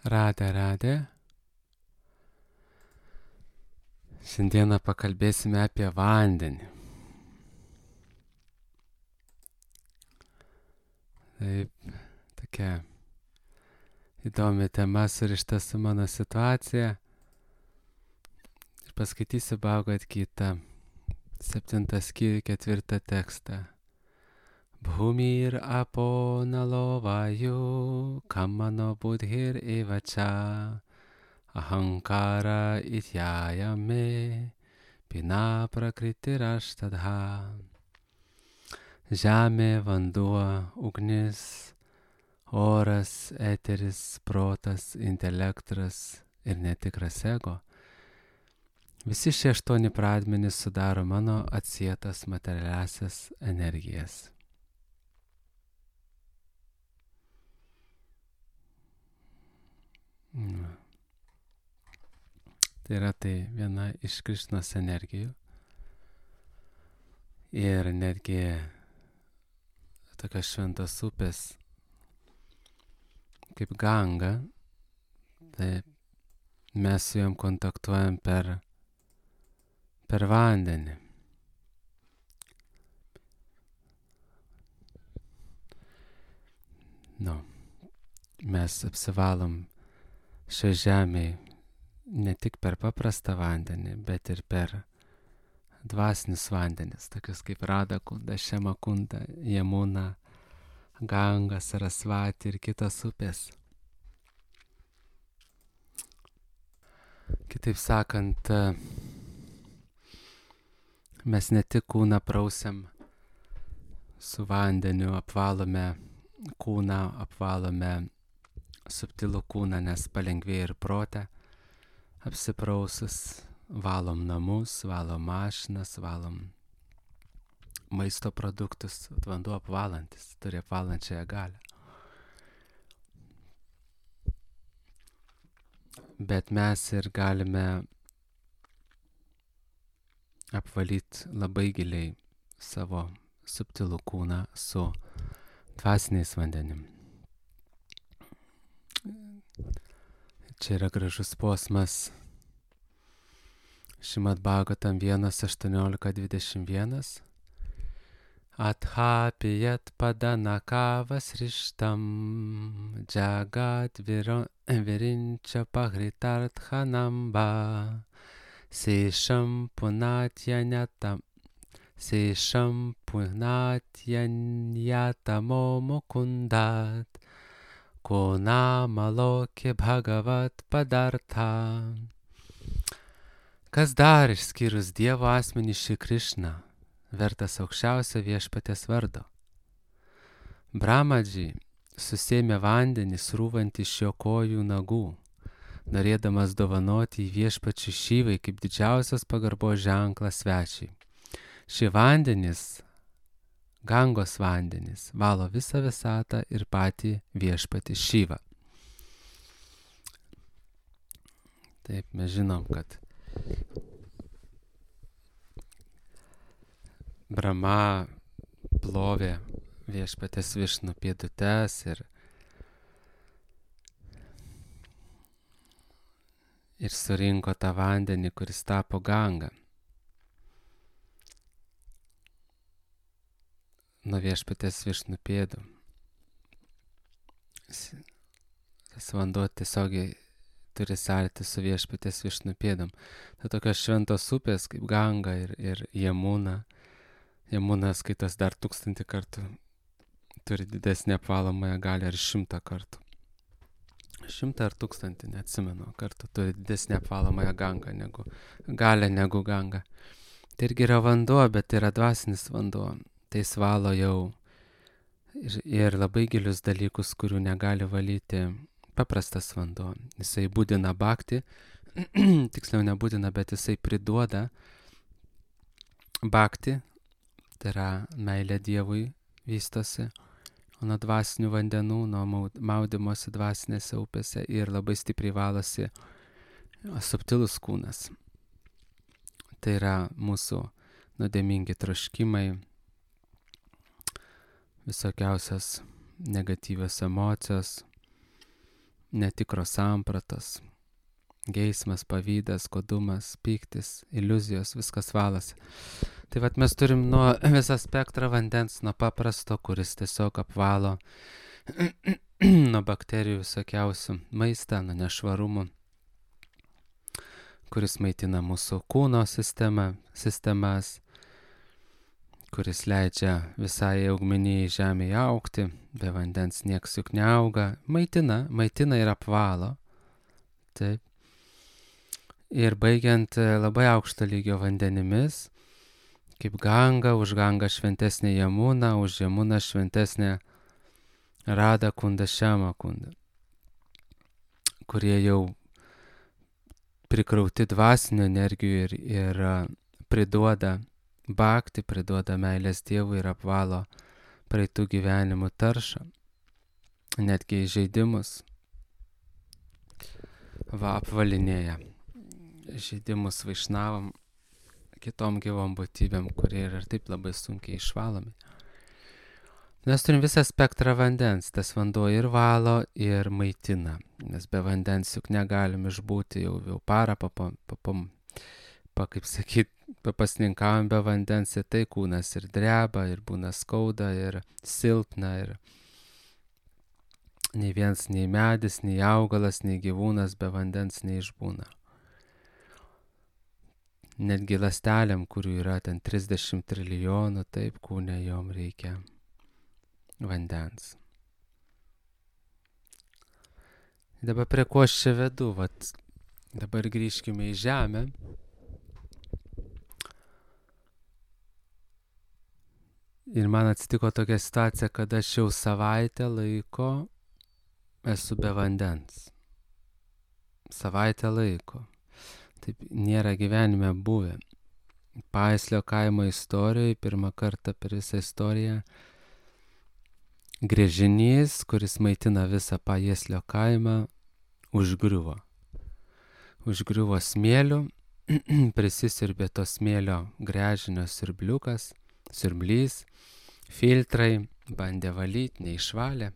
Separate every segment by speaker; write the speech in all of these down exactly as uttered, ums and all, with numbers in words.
Speaker 1: Radė, radė. Šiandieną pakalbėsime apie vandenį. Taip, tokia įdomi tema surišta su mano situacija. Ir paskaitysiu Bhagavad Gita, septintą skyrių, ketvirtą tekstą. Bhumir apo nalo vayu kamano budhir evacha ahankara ityayame pina prakritirashtadha. Žemė, vanduo, ugnis, oras, eteris, protas, intelektas ir netikras ego. Visi šie aštuoni pradmenys sudaro mano atsietas materialiasias energijas. Na. Tai yra tai viena iš Krišnos energijų. Ir netgi tokios šventos upės kaip Ganga, tai mes su jom kontaktuojam per, per vandenį. Nu, mes apsivalom šioje žemėje ne tik per paprastą vandenį, bet ir per dvasinius vandenis, tokius kaip Radakunda, Šemakunda, Jamuna, Ganga, Sarasvati ir kitos upės. Kitaip sakant, mes ne tik kūną prausiam su vandeniu, apvalome kūną, apvalome subtilų kūną, nes palengvėja ir protę. Apsiprausus valom namus, valom mašinas, valom maisto produktus. Vanduo apvalantis, turi apvalančiąją galią. Bet mes ir galime apvalyti labai giliai savo subtilų kūną su dvasiniais vandenim. Čia yra gražus posmas Šrimad Bhagavatam vienas aštuoniolika dvidešimt vienas. Athapiyat padanakavas rishtam jagat virinčia pahritarthanamba sešam punatyanyatam sešam punatyanyatamo mukundat Kona malokė bhagavat padartha. Kas dar išskyrus Dievo asmenį šį Krišną, vertas aukščiausio viešpaties vardo? Brahmadži susėmė vandenį srūvantį iš jo kojų nagų, norėdamas dovanoti į viešpačių Šyvai kaip didžiausias pagarbos ženklas svečiai. Šie vandenys, Gangos vandenys, valo visą visatą ir patį viešpatį Šyvą. Taip, mes žinom, kad Brahma plovė viešpatės Višnu pėdutes ir, ir surinko tą vandenį, kuris tapo Ganga. Nuo viešpatės Višnu pėdų. Tas vanduo tiesiogiai turi sąlytį su viešpatės Višnu pėdom. Tai tokios šventos upės kaip Ganga ir, ir Jamuna. Jamuna skaitos dar tūkstantį kartų. Turi didesnį apvalomąją galią ir šimtą kartų. Šimtą ar tūkstantį, neatsimenu, kartų turi didesnį apvalomąją gangą negu, galę negu Ganga. Tai irgi yra vanduo, bet tai yra dvasinis vanduo. Tai svalo jau ir, ir labai gilius dalykus, kurių negali valyti paprastas vanduo. Jisai būdina bhakti, tiksliau nebūdina, bet jisai priduoda bhakti, tai yra meilė Dievui vystosi, o nuo dvasinių vandenų, nuo maudimosi dvasinėse upėse ir labai stipriai valosi subtilus kūnas. Tai yra mūsų nuodėmingi troškimai, visokiausios negatyvios emocijos, netikros sampratos, geismas, pavydas, godumas, pyktis, iliuzijos, viskas valosi. Tai vat mes turim nuo visą spektrą vandens, nuo paprasto, kuris tiesiog apvalo nuo bakterijų visokiausių maistą, nuo nešvarumų, kuris maitina mūsų kūno sistemą, sistemas, kuris leidžia visai augmenijai žemėje augti, be vandens nieks juk neauga, maitina, maitina ir apvalo. Taip. Ir baigiant labai aukšto lygio vandenimis, kaip Ganga, už Gangą šventesnė Jamuna, už Jamuną šventesnė Rada Kunda, Šema Kunda, kurie jau prikrauti dvasinių energijų ir, ir priduoda bhakti, priduoda meilės Dievui ir apvalo praeitų gyvenimų taršą, netgi įžeidimus, va apvalinėja žaidimus vaišnavam, kitom gyvom būtybėm, kurie yra ir taip labai sunkiai išvalomi. Mes turim visą spektrą vandens, tas vanduo ir valo, ir maitina, nes be vandens juk negalim išbūti jau, jau parą, papam, papam, pa, kaip sakyt, papasninkavom be vandens, ir tai kūnas ir dreba, ir būna skauda, ir silpna, ir nei viens, nei medis, nei augalas, nei gyvūnas be vandens neišbūna. Netgi ląstelėm, kurių yra ten trisdešimt trilijonų, taip kūne jom reikia vandens. Dabar prie ko aš čia vedu, vat dabar grįžkime į žemę. Ir man atsitiko tokia situacija, kad aš jau savaitę laiko esu be vandens. Savaitę laiko. Taip nėra gyvenime buvę. Paeslio kaimo istorijoje pirmą kartą per visą istoriją gręžinys, kuris maitina visą Paeslio kaimą, užgriuvo. Užgriuvo smėliu, prisisiurbė to smėlio gręžinio siurbliukas, siurblys, filtrai, bandė valyti, neišvalė.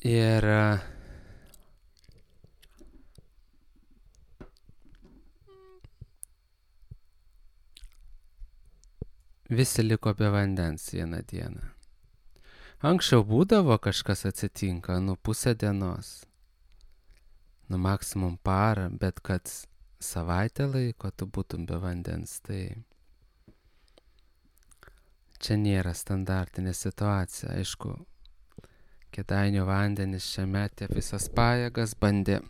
Speaker 1: Ir visi liko be vandens vieną dieną. Anksčiau būdavo kažkas atsitinka, nu pusę dienos, nu maksimum parą, bet kad savaitę laiko tu būtum be vandens, tai čia nėra standartinė situacija. Aišku, Kėdainių vandenis čia metė visas pajėgas, bandė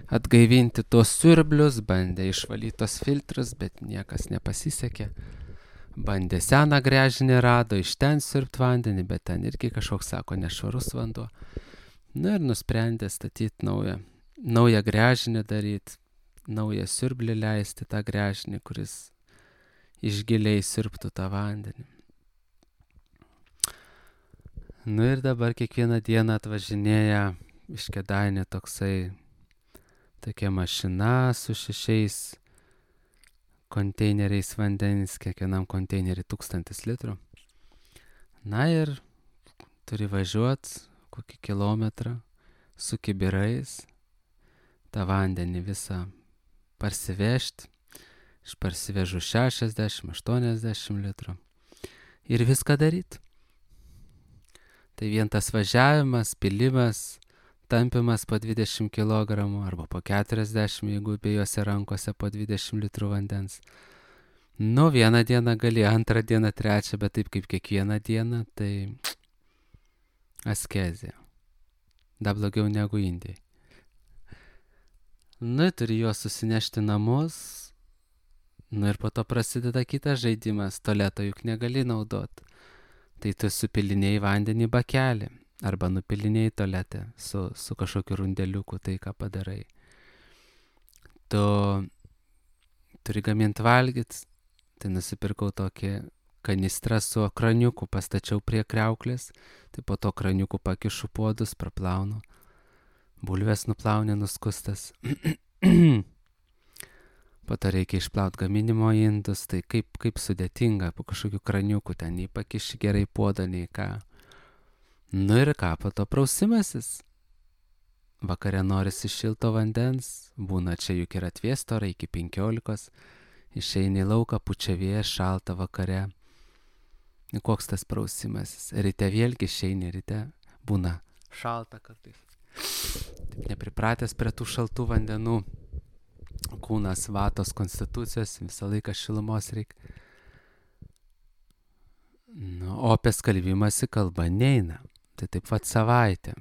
Speaker 1: atgaivinti tuos siurblius, bandė išvalyti tos filtrus, bet niekas nepasisekė. Bandė seną gręžinį rado, iš ten siurbt vandenį, bet ten irgi kažkoks, sako, nešvarus vanduo. Na ir nusprendė statyti naują, naują gręžinį daryti, naują siurblį leisti tą gręžinį, kuris iš giliai siurbtų tą vandenį. Nu ir dabar kiekvieną dieną atvažinėja iš Kėdainių toksai, tokia mašina su šešiais konteineriais vandenis, kiekvienam konteineriui tūkstantis litrų. Na ir turi važiuoti kokį kilometrą su kibirais, tą vandenį visą parsivežti. Aš parsivežu šešiasdešimt aštuoniasdešimt litrų ir viską daryti. Tai vien tas važiavimas, pilimas, tampimas po dvidešimt kilogramų arba po keturiasdešimt, jeigu abiejose rankose po dvidešimt litrų vandens. Nu, vieną dieną gali, antrą dieną, trečią, bet taip kaip kiekvieną dieną, tai askezija. Dar blogiau negu Indijai. Nu, turi juos susinešti namus, nu ir po to prasideda kitas žaidimas, tualeto juk negali naudoti. Tai tu supilinėjai vandenį bakelį arba nupilinėjai tualetę su, su kažkokiu rundeliuku, tai ką padarai. Tu turi gaminti valgyt, tai nusipirkau tokį kanistrą su kraniuku, pastačiau prie kriauklės, tai po to kraniuku pakišu puodus, praplaunu, bulves nuplauni nuskustas. Po to reikia išplaut gaminimo indus, tai kaip, kaip sudėtinga, po kažkokių kraniukų ten nei pakiši gerai puodą, nei ką. Nu ir ką, po to prausimasis. Vakare norisi šilto vandens, būna čia juk ir atvėsto orai iki penkiolikos, išeini į lauką, pučia vėjas, šalta vakare. Koks tas prausimasis? Ryte vėlgi išeini, ryte būna šalta kartais. Taip nepripratęs prie tų šaltų vandenų, kūnas vatos konstitucijos, visą laiką šilumos reikia. Nu, o apie skalbimąsi kalba neina, tai taip pat savaitė.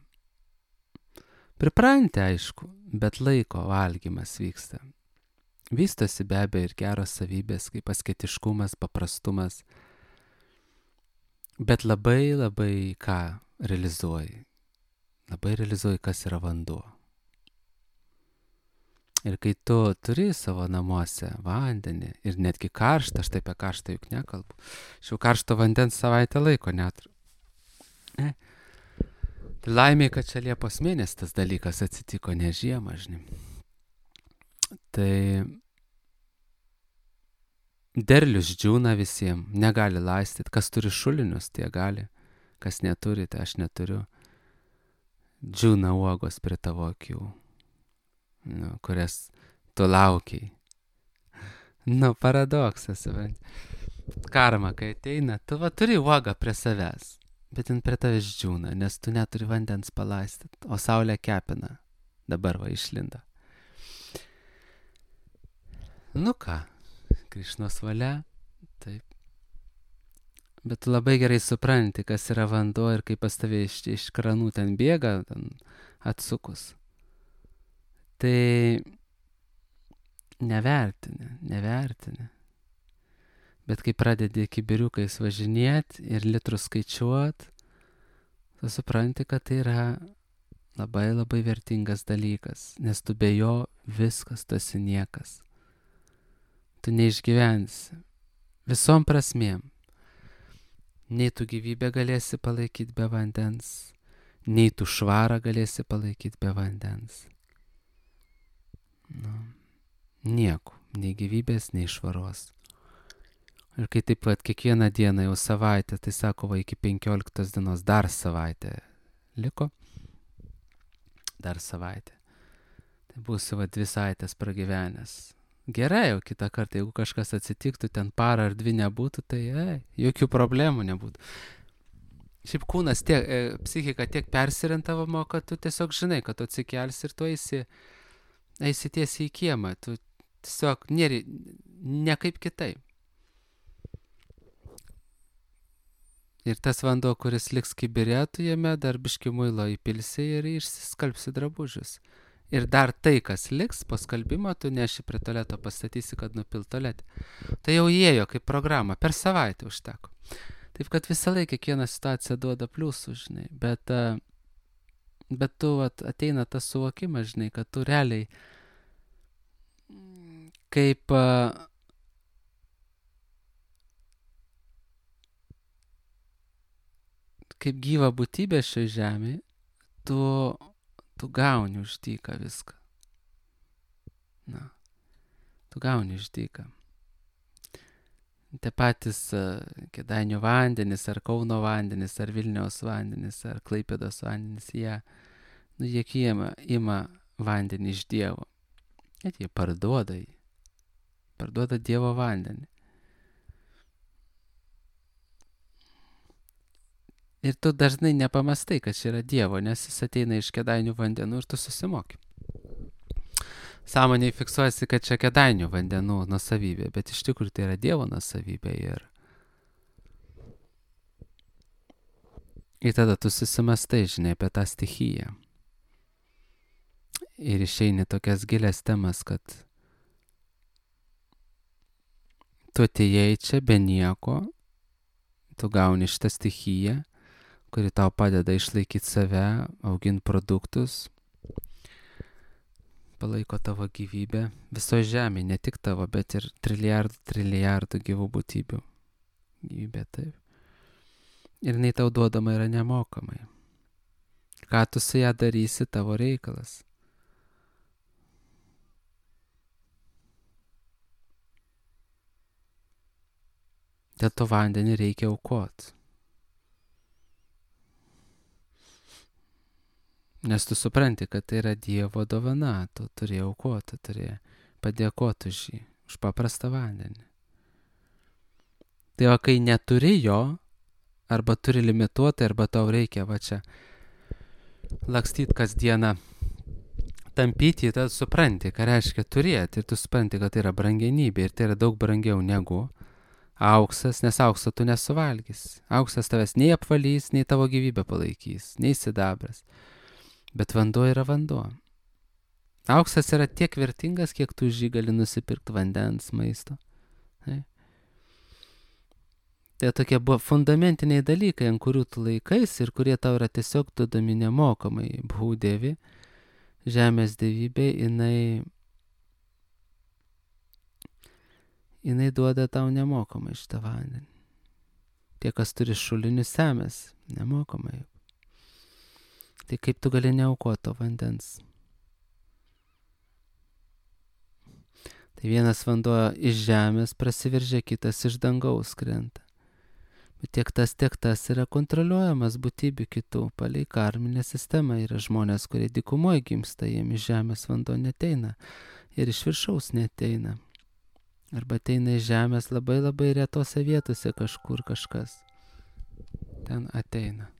Speaker 1: Pripranti, aišku, bet laiko valgymas vyksta. Vystosi be abejo ir geros savybės, kaip asketiškumas, paprastumas. Bet labai labai ką realizuoji. Labai realizuoji, kas yra vanduo. Ir kai tu turi savo namuose vandenį ir netgi karštą, aš taip apie karštą juk nekalbu, aš jau karšto vandens savaitę laiko neturiu. Ne? Laimė, kad čia Liepos mėnesį tas dalykas atsitiko, ne žiemą, žinai. Tai derlius džiūna visiems, negali laistyti. Kas turi šulinius, tie gali. Kas neturi, tai aš neturiu. Džiūna uogos prie tavo akių, nu, kurias tu laukiai. Nu, paradoksas. Karma, kai ateina, tu va turi uogą prie savęs. Bet jin prie tavęs džiūna, nes tu neturi vandens palaistyti, o saulė kepina. Dabar va išlinda. Nu ką, Krišnos valia, taip. Bet tu labai gerai supranti, kas yra vanduo ir kaip pas tave iš, iš kranų ten bėga, ten atsukus. Tai nevertini, nevertini. Bet kai pradedi kibiriukais važinėti ir litrus skaičiuoti, tu supranti, kad tai yra labai labai vertingas dalykas, nes tu be jo viskas, tu esi niekas. Tu neišgyvensi visom prasmėm. Nei tu gyvybę galėsi palaikyti be vandens, nei tu švarą galėsi palaikyti be vandens. Nu, nieko, nei gyvybės, nei švaros. Ir kai taip pat kiekvieną dieną jau savaitę, tai sako, va, iki penkioliktos dienos dar savaitę liko. Dar savaitę. Tai būsi va dvi savaitės pragyvenęs. Gerai, jau kitą kartą, jeigu kažkas atsitiktų, ten parą ar dvi nebūtų, tai ei, jokių problemų nebūtų. Šiaip kūnas tiek, e, psichika tiek persirentavimo, kad tu tiesiog žinai, kad tu atsikelsi ir tu eisi, eisi tiesiai į kiemą. Tu tiesiog nėri, ne kaip kitaip. Ir tas vanduo, kuris liks kibire, tu jame dar biškį muilo įpilsi ir išsiskalbsi drabužius. Ir dar tai, kas liks po skalbimo, tu neši prie tualeto, pastatysi, kad nupil tualetę. Tai jau įėjo kaip programa, per savaitę užteko. Taip, kad visą laiką kiekviena situacija duoda pliusų, žinai. Bet, bet tu at, ateina tas suvokimas, žinai, kad tu realiai kaip kaip gyva būtybė šioje žemėje, tu, tu gauni už dyką viską. Na, tu gauni už dyką. Tie patys uh, Kėdainių vandenys, ar Kauno vandenys, ar Vilniaus vandenys, ar Klaipėdos vandenys, jie, nu, jie ima, ima vandenį iš Dievo. Net jie parduoda jį. Parduoda Dievo vandenį. Ir tu dažnai nepamastai, kad čia yra Dievo, nes jis ateina iš Kėdainių vandenų ir tu susimoki. Sąmoniai fiksuojasi, kad čia Kėdainių vandenų nuosavybė, bet iš tikrųjų tai yra Dievo nuosavybė. Ir... ir tada tu susimastai, žinai, apie tą stichiją. Ir išeini tokias gilias temas, kad tu atėjai čia be nieko, tu gauni šitą stichiją, kuri tau padeda išlaikyti save, auginti produktus, palaiko tavo gyvybę visoje žemėje, ne tik tavo, bet ir trilijardų, trilijardų gyvų būtybių gyvybė, taip. Ir jinai tau duodama yra nemokamai. Ką tu su ją darysi, tavo reikalas. Dėl to vandenį reikia aukoti. Nes tu supranti, kad tai yra Dievo dovana, tu turi aukoti, turi padėkoti už jį, už paprastą vandenį. Tai o kai neturi jo, arba turi limituotai, arba tau reikia va čia lakstyti kasdieną, tampyti, tad supranti, ką reiškia turėti, ir tu supranti, kad tai yra brangenybė, ir tai yra daug brangiau negu auksas, nes aukso tu nesuvalgys. Auksas tavęs nei apvalys, nei tavo gyvybę palaikys, nei sidabras. Bet vanduo yra vanduo. Auksas yra tiek vertingas, kiek tu už jį gali nusipirkti vandens, maisto. Tai, tai tokie buvo fundamentiniai dalykai, ant kurių tu laikais ir kurie tau yra tiesiog duodami nemokamai. Bhūdevi, žemės dievybė, jinai, jinai duoda tau nemokamai šitą vandenį. Tie, kas turi šulinius, semės nemokamai. Tai kaip tu gali neaukoti to vandens? Tai vienas vanduo iš žemės prasiveržia, kitas iš dangaus krenta. Bet tiek tas, tiek tas yra kontroliuojamas būtybių kitų. Palei karminę sistemą yra žmonės, kurie dykumoje gimsta, jiem iš žemės vanduo neteina ir iš viršaus neteina. Arba ateina iš žemės labai labai retose vietose kažkur kažkas. Ten ateina.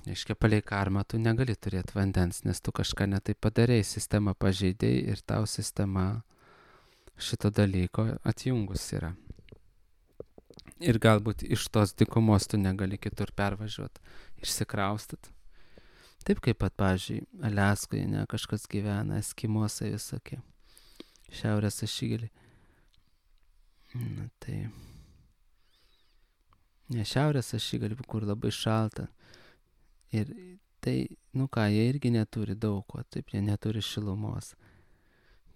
Speaker 1: Iškia, palei karmą tu negali turėti vandens, nes tu kažką netai padarėjai, sistemą pažeidėjai ir tau sistema šito dalyko atjungus yra. Ir galbūt iš tos dykumos tu negali kitur pervažiuoti, išsikraustit. Taip kaip pat, pavyzdžiui, Aliaskoje, ne, kažkas gyvena, eskimosai visokie, šiaurės ašigaliai. Na tai, ne, šiaurės ašigaliai, kur labai šalta. Ir tai, nu ką, jie irgi neturi daug ko, taip, jie neturi šilumos.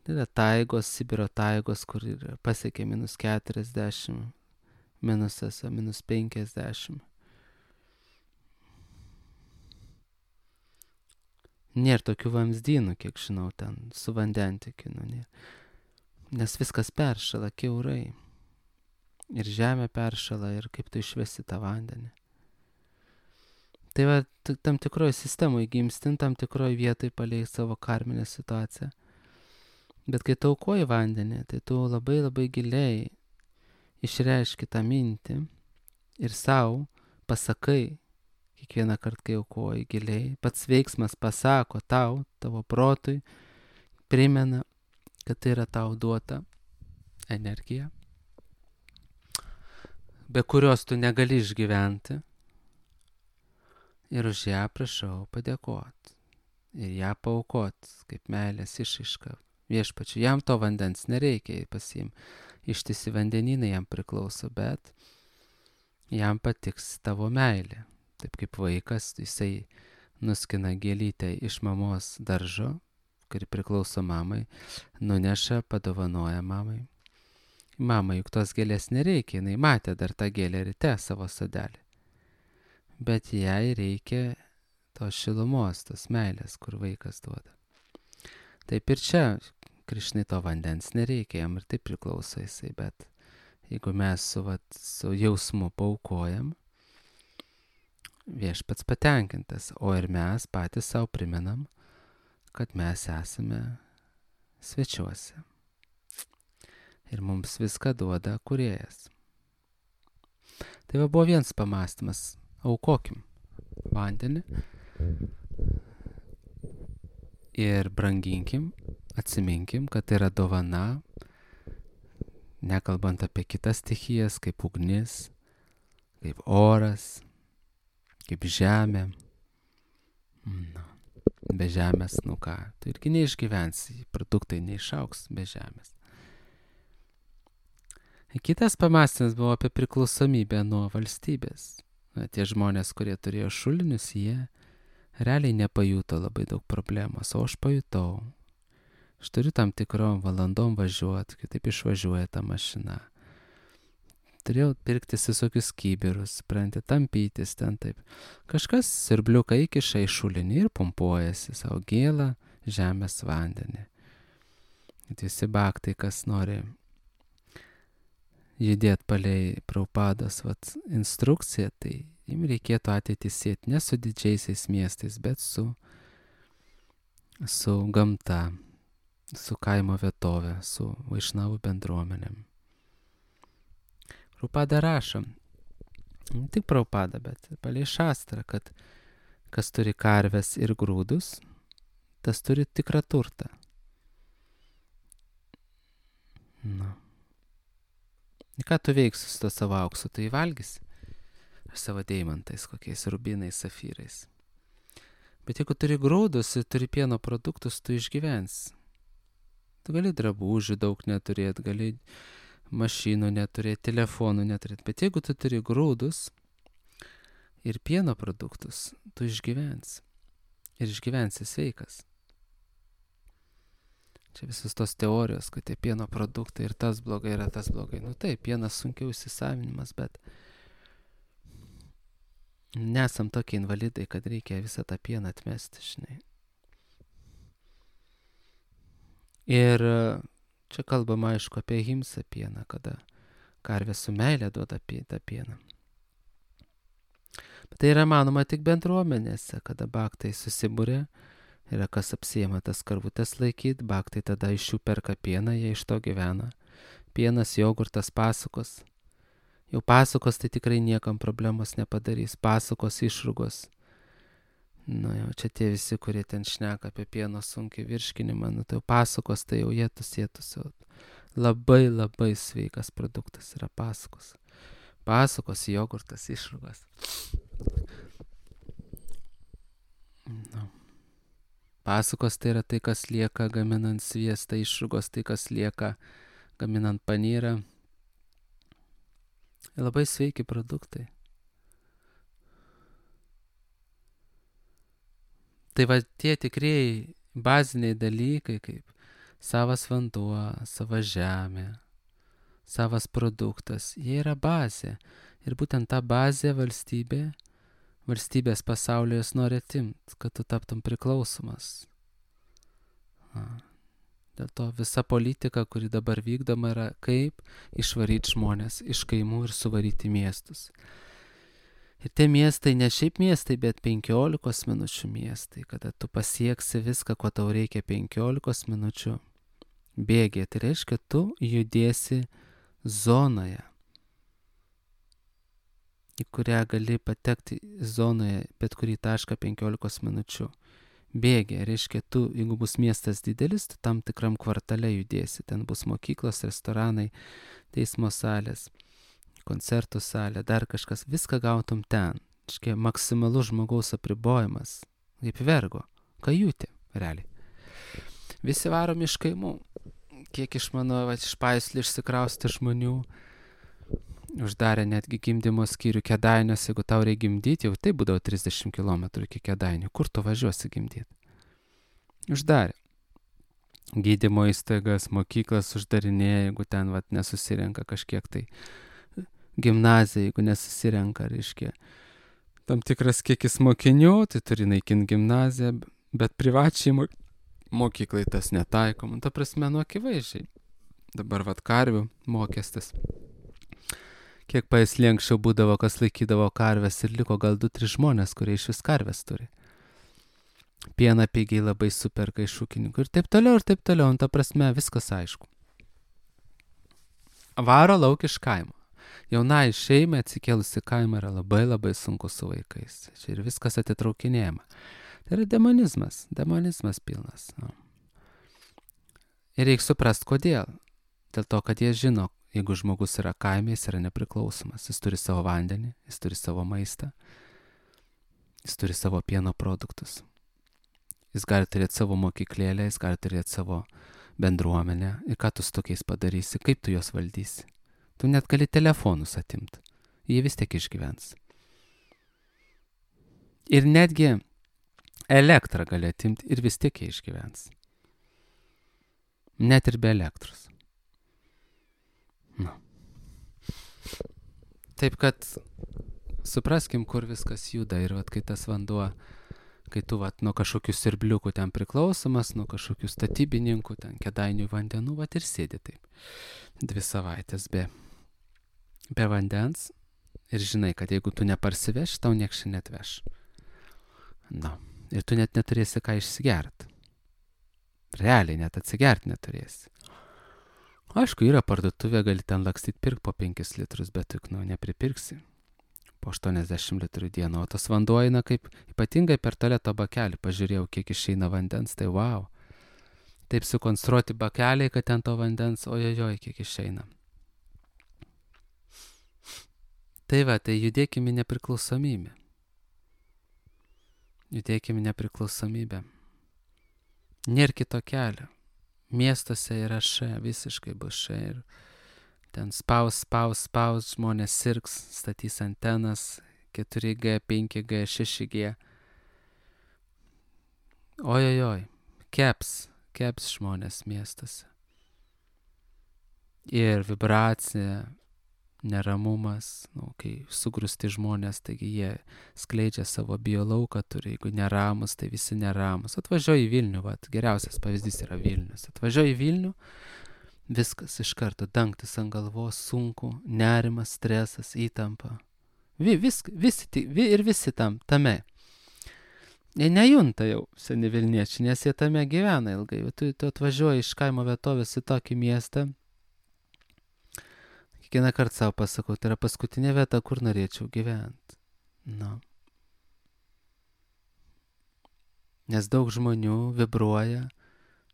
Speaker 1: Tai yra taigos, Sibiro taigos, kur pasiekia minus keturiasdešimt, minusas, minus penkiasdešimt. Nėra tokių vamzdynų, kiek žinau, ten su vandentikiu, nu nėra. Nes viskas peršala kiaurai. Ir žemė peršala, ir kaip tu išvesi tą vandenį. Tai va, tam tikroje sistemoje gimstin, tam tikroje vietoje palei savo karminę situaciją. Bet kai taukoji vandenį, tai tu labai labai giliai išreiški tą mintį ir savo pasakai, kiekvieną kartą, kai aukoji giliai, pats veiksmas pasako tau, tavo protui, primena, kad tai yra tau duota energija, be kurios tu negali išgyventi. Ir už ją prašau padėkoti. Ir ją paaukoti, kaip meilės išraiška viešpačiui. Jam to vandens nereikia pasiim. Ištisi vandenynai jam priklauso, bet jam patiks tavo meilė. Taip kaip vaikas, jisai nuskina gėlytę iš mamos daržo, kuri priklauso mamai, nuneša, padovanoja mamai. Mama, juk tos gėlės nereikia, jinai matė dar tą gėlę ryte savo sodelį. Bet jai reikia tos šilumos, tos meilės, kur vaikas duoda. Taip ir čia, Krišnai to vandens nereikia, jam ir taip priklauso jisai, bet jeigu mes su, vat, su jausmu paaukojam, viešpats patenkintas, o ir mes patys savo primenam, kad mes esame svečiuose. Ir mums viską duoda kūrėjas. Tai va buvo vienas pamąstymas. Aukokim vandenį ir branginkim, atsiminkim, kad tai yra dovana, nekalbant apie kitas stichijas, kaip ugnis, kaip oras, kaip žemė. Na, be žemės, nu ką, tu irgi neišgyvensi, produktai neišauks be žemės. Kitas pamąstymas buvo apie priklausomybę nuo valstybės. Na, tie žmonės, kurie turėjo šulinius, jie realiai nepajuto labai daug problemos, o aš pajutau. Aš turiu tam tikrom valandom važiuoti, kitaip išvažiuoja ta mašina. Turėjau pirktis visokius kibirus, supranti, tampytis ten taip. Kažkas sirbliuką įkiša į šulinį ir pumpuojasi savo gėlą žemės vandenį. Visi baktai, kas nori judėt palei Prabhupados vat instrukciją, tai jim reikėtų ateitį sieti ne su didžiaisiais miestais, bet su, su gamta, su kaimo vietovė, su vaišnavų bendruomenėm. Prabhupada rašo, ne tik Prabhupada, bet palei šastrą, kad kas turi karves ir grūdus, tas turi tikrą turtą. Na. Ir ką tu veiksi su to savo auksu, tu įvalgysi? Ar savo deimantais, kokiais rubinais, safyrais. Bet jeigu turi grūdus ir turi pieno produktus, tu išgyvensi. Tu gali drabužių daug neturėti, gali mašinų neturėti, telefonų neturėti. Bet jeigu tu turi grūdus ir pieno produktus, tu išgyvensi. Ir išgyvensi sveikas. Čia visos tos teorijos, kad tie pieno produktai ir tas blogai, yra tas blogai. Nu taip, pienas sunkiau įsisavinimas, bet nesam tokie invalidai, kad reikia visą tą pieną atmesti, žinai. Ir čia kalbama, aišku, apie himsą pieną, kada karvė su meilė duoda tą pieną. Bet tai yra manoma tik bendruomenėse, kada baktai susibūrė, yra kas apsiėma tas karvutės laikyti, baktai tada iš jų perka pieną, jie iš to gyvena. Pienas, jogurtas, pasukos. Jau pasukos tai tikrai niekam problemos nepadarys. Pasukos, išrūgos. Nu jau čia tie visi, kurie ten šneka apie pieno sunkiai virškinimą, nu tai jau pasukos, tai jau jėtus, jėtus. Labai labai sveikas produktas yra pasukos. Pasukos, jogurtas, išrūgos. Nu. Pasukos tai yra tai, kas lieka gaminant sviestą, išrūgos tai, kas lieka gaminant panyrą. Labai sveiki produktai. Tai va tie tikrieji baziniai dalykai, kaip savas vanduo, sava žemė, savas produktas, jie yra bazė. Ir būtent tą bazę valstybė Valstybės pasaulyje jos nori atimt, kad tu taptum priklausomas. A. Dėl to visa politika, kuri dabar vykdoma, yra kaip išvaryti žmonės iš kaimų ir suvaryti miestus. Ir tie miestai, ne šiaip miestai, bet penkiolikos minučių miestai, kada tu pasieksi viską, ko tau reikia penkiolikos minučių bėgė. Tai reiškia, tu judėsi zonoje, į kurią gali patekti zonoje bet kurį tašką penkiolikos minučių bėgė. Reiškia, tu, jeigu bus miestas didelis, tu tam tikram kvartale judėsi. Ten bus mokyklos, restoranai, teismo salės, koncertų salė, dar kažkas. Viską gautum ten. Reiškia, maksimalus žmogaus apribojimas. Kaip vergo. Kajutė, realiai. Visi varom iš kaimų. Kiek iš mano, va, iš Paislį išsikrausti žmonių, uždarė netgi gimdymo skyrių Kėdainiuose, jeigu tau reikia gimdyti, jau tai būdavo trisdešimt kilometrų iki Kėdainių. Kur tu važiuosi gimdyti? Uždarė. Gydymo įstaigas, mokyklas uždarinėja, jeigu ten vat, nesusirenka kažkiek tai. Gimnazija, jeigu nesusirenka, reiškia. Tam tikras kiekis mokinių, tai turi naikinti gimnaziją, bet privačiai mokyklai tas netaikoma. Ta prasme, nu akivaizdžiai. Dabar vat karvių mokestis. Kiek Paislį anksčiau būdavo, kas laikydavo karves ir liko gal du tris žmonės, kurie iš vis karves turi. Pieną pigiai labai superka iš ūkininkų ir taip toliau, ir taip toliau. Ta prasme, viskas aišku. Varo lauk iš kaimo. Jaunai šeimai atsikėlusi kaimą yra labai labai sunku su vaikais. Čia ir viskas atitraukinėjama. Tai yra demonizmas. Demonizmas pilnas. No. Ir reikia suprasti, kodėl. Dėl to, kad jie žino, jeigu žmogus yra kaime, jis yra nepriklausomas. Jis turi savo vandenį, jis turi savo maistą, jis turi savo pieno produktus. Jis gali turėti savo mokyklėlę, jis gali turėti savo bendruomenę. Ir ką tu su tokiais padarysi, kaip tu juos valdysi. Tu net gali telefonus atimti. Jie vis tiek išgyvens. Ir netgi elektrą gali atimti ir vis tiek jie išgyvens. Net ir be elektros. Na. Taip kad supraskim, kur viskas juda ir vat, kai tas vanduo, kai tu vat, nuo kažkokių sirbliukų ten priklausomas, nuo kažkokių statybininkų, ten Kėdainių vandenų, vat ir sėdi taip. Dvi savaitės be be vandens ir žinai, kad jeigu tu neparsiveš, tau nieks čia netveš. Na, ir tu net neturėsi ką išsigert. Realiai net atsigert neturėsi. Aišku, yra parduotuvė, gali ten lakstyt pirk po penkis litrus, bet tu, nu, nepripirksi po aštuoniasdešimt litrų dieną. O tas vanduo eina kaip ypatingai per tualeto bakelį. Pažiūrėjau, kiek išeina vandens, tai wow. Taip sukonstruoti bakeliai, kad ten to vandens, ojojoj, kiek išeina. Tai va, tai judėkime į nepriklausomybę. Judėkime į nepriklausomybę. Nėra kito kelio. Miestuose yra š, visiškai bus š. Ir ten spaus, spaus, spaus, žmonės sirgs, statys antenas, keturi G, penki G, šeši G. Ojojoj, keps, keps žmonės miestuose. Ir vibracija, neramumas, nu, kai sugrūsti žmonės, taigi jie skleidžia savo biolauką, turi, jeigu neramus, tai visi neramus. Atvažiuoju į Vilnių, vat, geriausias pavyzdys yra Vilnius. Atvažiuoju į Vilnių, viskas iš karto, dangtis ant galvos, sunku, nerimas, stresas, įtampa. Vi, visk, visi, vi, ir visi tam, tame. Jie nejunta jau seni Vilniečiai, nes jie tame gyvena ilgai. Tu, tu atvažiuoji iš kaimo vietovės į tokį miestą. Kiekvieną kartą savo pasakau, tai yra paskutinė vieta, kur norėčiau gyventi. Nu. Nes daug žmonių vibruoja,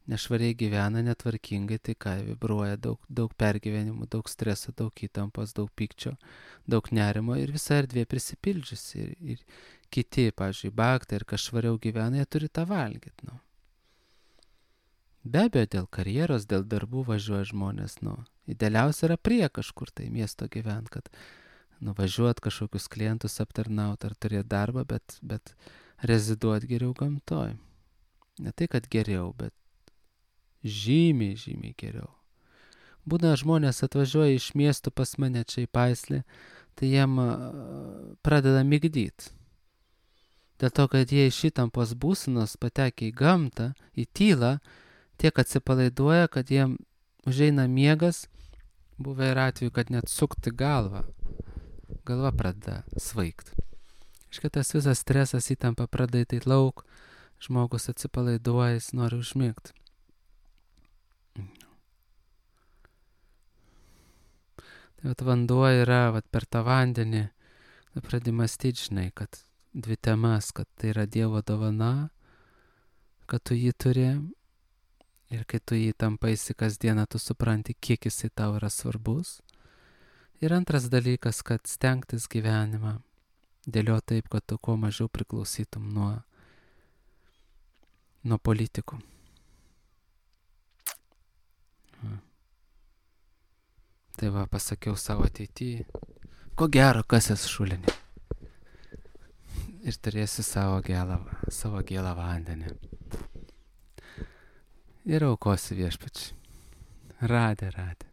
Speaker 1: nešvariai gyvena, netvarkingai, tai ką, vibruoja daug, daug pergyvenimų, daug streso, daug įtampos, daug pykčio, daug nerimo ir visa erdvė prisipildžiusi. Ir, ir kiti, pavyzdžiui, baktai ir kas švariau gyvena, jie turi tą valgyti. Nu. Be abejo, dėl karjeros, dėl darbų važiuoja žmonės, nu. Idealiausia yra prie kažkur tai miesto gyventi, kad nuvažiuot kažkokius klientus aptarnaut ar turėti darbą, bet, bet reziduot geriau gamtoj. Ne tai, kad geriau, bet žymiai, žymiai geriau. Būna žmonės atvažiuoja iš miestų pas mane čia į Paislį, tai jiem pradeda migdyt. Dėl to, kad jie iš įtampos būsenos patekia į gamtą, į tylą, tiek atsipalaiduoja, kad jiem užeina miegas, buvę ir atveju, kad net sukti galvą. Galva pradeda svaigt. Iškia tas visas stresas, įtampa pradeda įeit lauk, žmogus atsipalaiduoja, jis nori užmigti. Tai vat vanduo yra, vat per tą vandenį, pradedi mąstyti, žinai, kad dvi temas, kad tai yra Dievo dovana, kad tu jį turi. Ir kai tu jį tampaisi kasdieną, tu supranti, kiek jisai tau yra svarbus. Ir antras dalykas, kad stengtis gyvenimą dėlioti taip, kad tu kuo mažiau priklausytum nuo, nuo politikų. Tai va, pasakiau savo ateityje, ko gero, kas esi šulinė. Ir turėsi savo gėlą, savo gėlą vandenį. Ir aukosi viešpačiui. Radė, radė.